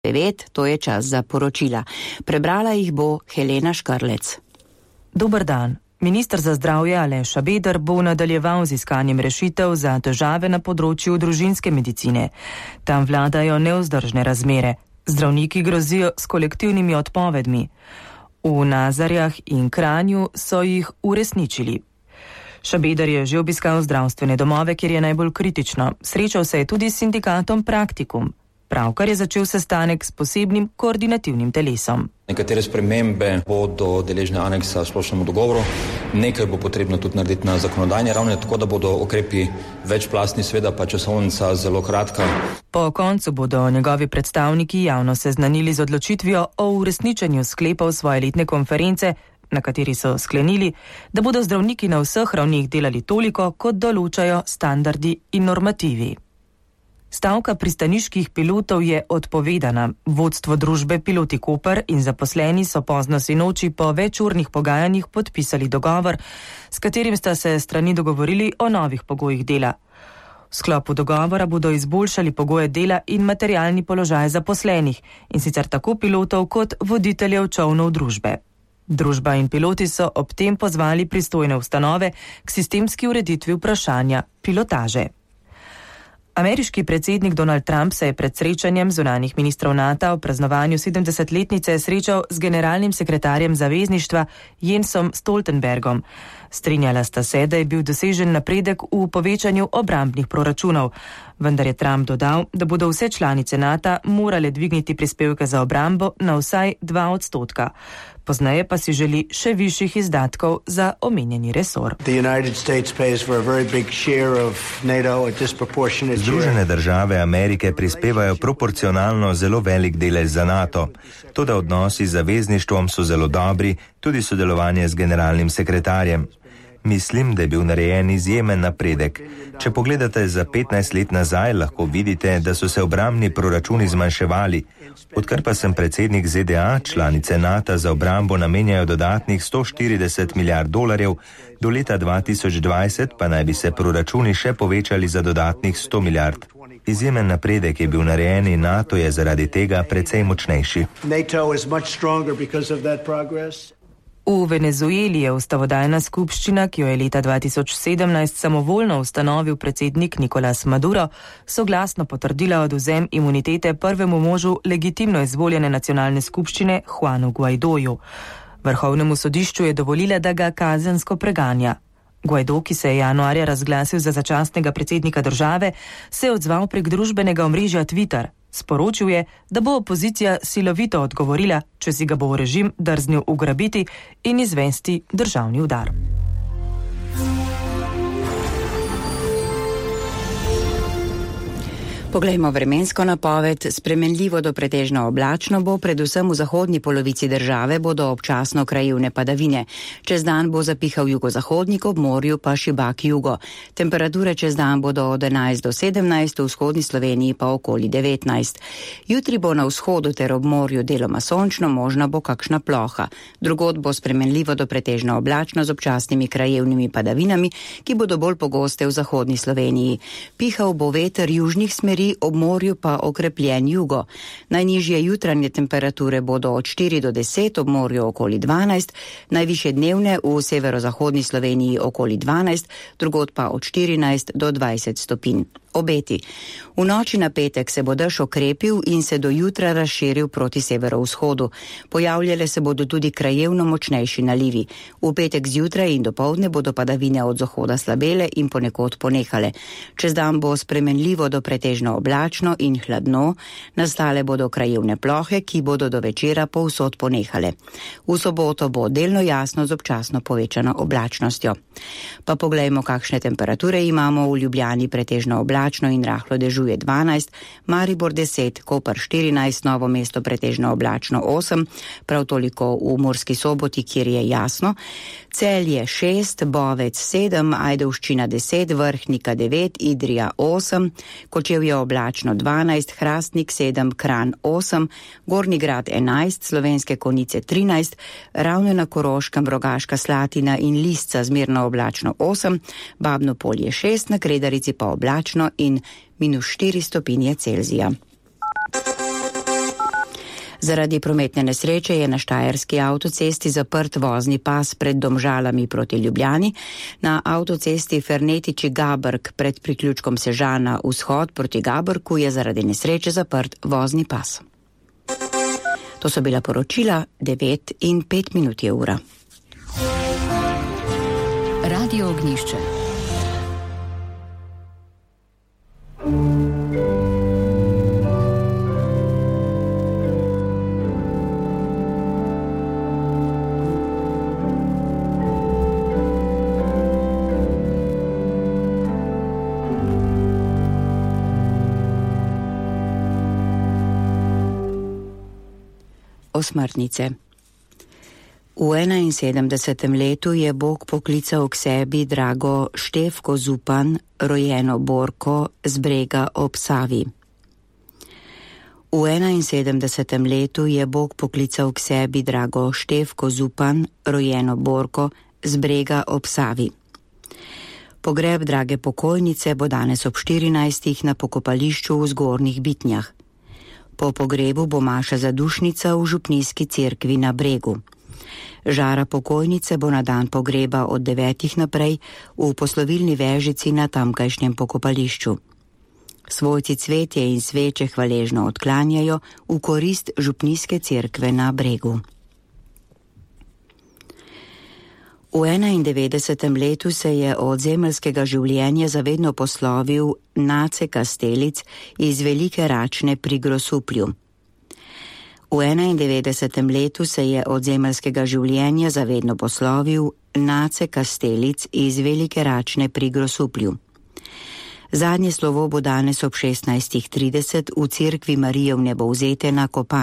9, to je čas za poročila. Prebrala jih bo Helena Škarlec. Dober dan. Minister za zdravje Aleš Šabeder bo nadaljeval z iskanjem rešitev za težave na področju družinske medicine. Tam vladajo nevzdržne razmere. Zdravniki grozijo s kolektivnimi odpovedmi. V Nazarjah in Kranju so jih uresničili. Šabeder je že obiskal zdravstvene domove, kjer je najbolj kritično. Srečal se je tudi s sindikatom Praktikum. Pravkar je začel sestanek s posebnim koordinativnim telesom. Nekatere spremembe bodo deležne aneksa splošnemu dogovoru, nekaj bo potrebno tudi narediti na zakonodajni ravni, tako da bodo ukrepi večplastni, seveda pa časovnica zelo kratka. Po koncu bodo njegovi predstavniki javno seznanili z odločitvijo o uresničenju sklepov svoje letne konference, na kateri so sklenili, da bodo zdravniki na vseh ravnih delali toliko, kot določajo standardi in normativi. Stavka pristaniških pilotov je odpovedana. Vodstvo družbe Piloti Koper in zaposleni so pozno sinoči po večurnih pogajanjih podpisali dogovor, s katerim sta se strani dogovorili o novih pogojih dela. V sklopu dogovora bodo izboljšali pogoje dela in materialni položaj zaposlenih, in sicer tako pilotov kot voditeljev čolnov družbe. Družba in piloti so ob tem pozvali pristojne ustanove k sistemski ureditvi vprašanja pilotaže. Ameriški predsednik Donald Trump se je pred srečanjem zunanjih ministrov NATO v praznovanju 70-letnice srečal z generalnim sekretarjem zavezništva Jensom Stoltenbergom. Strinjala sta se, da je bil dosežen napredek v povečanju obrambnih proračunov, vendar je Trump dodal, da bodo vse članice NATO morale dvigniti prispevke za obrambo na vsaj 2%. Pozneje pa si želi še višjih izdatkov za omenjeni resor. Združene države Amerike prispevajo proporcionalno zelo velik delež za NATO. Toda odnosi z zavezništvom so zelo dobri, tudi sodelovanje z generalnim sekretarjem. Mislim, da je bil narejen izjemen napredek. Če pogledate za 15 let nazaj, lahko vidite, da so se obrambni proračuni zmanjševali. Odkar pa sem predsednik ZDA, članice NATO za obrambo namenjajo dodatnih $140 milijard, do leta 2020 pa naj bi se proračuni še povečali za dodatnih 100 milijard. Izjemen napredek je bil narejen in NATO je zaradi tega precej močnejši. V Venezueli je ustavodajna skupščina, ki jo je leta 2017 samovoljno ustanovil predsednik Nicolás Maduro, soglasno potrdila odvzem imunitete prvemu možu legitimno izvoljene nacionalne skupščine Juanu Guaidoju. Vrhovnemu sodišču je dovolila, da ga kazensko preganja. Guaido, ki se je januarja razglasil za začasnega predsednika države, se je odzval prek družbenega omrežja Twitter. Sporočil je, da bo opozicija silovito odgovorila, če si ga bo režim drznil ugrabiti in izvesti državni udar. Poglejmo vremensko napoved. Spremenljivo do pretežno oblačno bo, predvsem v zahodni polovici države bodo občasno krajevne padavine. Čez dan bo zapihal jugozahodnik, ob morju pa šibak jugo. Temperature čez dan bodo od 11 do 17, v vzhodni Sloveniji pa okoli 19. Jutri bo na vzhodu ter ob morju deloma sončno, možna bo kakšna ploha. Drugod bo spremenljivo do pretežno oblačno z občasnimi krajevnimi padavinami, ki bodo bolj pogoste v zahodni Sloveniji. Pihal bo veter južnih smeri, ob morju pa okrepljen jugo. Najnižje jutranje temperature bodo od 4 do 10, ob morju okoli 12, najvišje dnevne v severozahodni Sloveniji okoli 12, drugod pa od 14 do 20 stopinj. Obeti. V noči na petek se bo dež okrepil in se do jutra razširil proti severovzhodu. Pojavljale se bodo tudi krajevno močnejši nalivi. V petek zjutraj in dopoldne bodo padavine od zahoda slabele in ponekod ponehale. Čez dan bo spremenljivo do pretežno oblačno in hladno, nastale bodo krajevne plohe, ki bodo do večera povsod ponehale. V soboto bo delno jasno z občasno povečano oblačnostjo. Pa poglejmo, kakšne temperature imamo. V Ljubljani pretežno oblačno in rahlo dežuje 12, Maribor 10, Koper 14, Novo mesto pretežno oblačno 8, prav toliko v Murski Soboti, kjer je jasno, Celje 6, Bovec 7, Ajdovščina 10, Vrhnika 9, Idrija 8, Kočevje oblačno 12, Hrastnik 7, Kranj 8, Gornji Grad 11, Slovenske Konjice 13, Ravne na Koroškem, Rogaška Slatina in Lisca zmerno oblačno 8, Babno Polje 6, na Kredarici pa oblačno in -4 stopinje Celzija. Zaradi prometne nesreče je na Štajerski avtocesti zaprt vozni pas pred Domžalami proti Ljubljani, na avtocesti Fernetiči-Gabrk pred priključkom Sežana vzhod proti Gabrku je zaradi nesreče zaprt vozni pas. To so bila poročila, 9:05 je ura. Radio Ognjišče. Osmrtnice. V 71. letu je Bog poklical k sebi drago Štefko Zupan, rojeno Borko, z Brega ob Savi. V 71. letu je Bog poklical k sebi drago Štefko Zupan, rojeno Borko, z Brega ob Savi. Pogreb drage pokojnice bo danes ob 14. na pokopališču v Zgornjih Bitnjah. Po pogrebu bo maša zadušnica v župnijski cerkvi na Bregu. Žara pokojnice bo na dan pogreba od 9. naprej v poslovilni vežici na tamkajšnjem pokopališču. Svojci cvetje in sveče hvaležno odklanjajo v korist župnijske cerkve na Bregu. V 91. letu se je od zemeljskega življenja zavedno poslovil Nace Kastelic iz Velike Račne pri Grosuplju. V 91. letu se je od zemeljskega življenja zavedno poslovil Nace Kastelic iz Velike Račne pri Grosuplju. Zadnje slovo bo danes ob 16:30 v cerkvi Marije Vnebovzete na Kopanj.